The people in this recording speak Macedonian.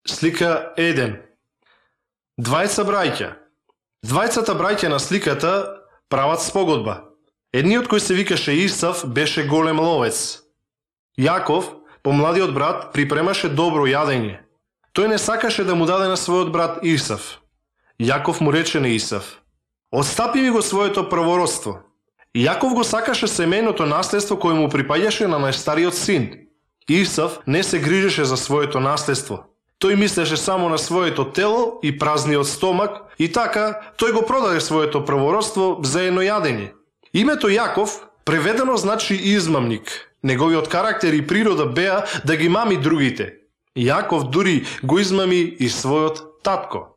Слика 1. Двајца браќа. Двајцата браќа на сликата прават спогодба. Едниот кој се викаше Исав беше голем ловец. Јаков, помладиот брат, припремаше добро јадење. Тој не сакаше да му даде на својот брат Исав. Јаков му рече на Исав: "Отстапи ми го своето првородство." Јаков го сакаше семејното наследство кое му припаѓаше на најстариот син. Исав не се грижеше за своето наследство. Тој мислеше само на своето тело и празниот стомак и така тој го продаде своето првородство за едно јадење. Името Јаков преведено значи измамник. Неговиот карактер и природа беа да ги мами другите. Јаков дури го измами и својот татко.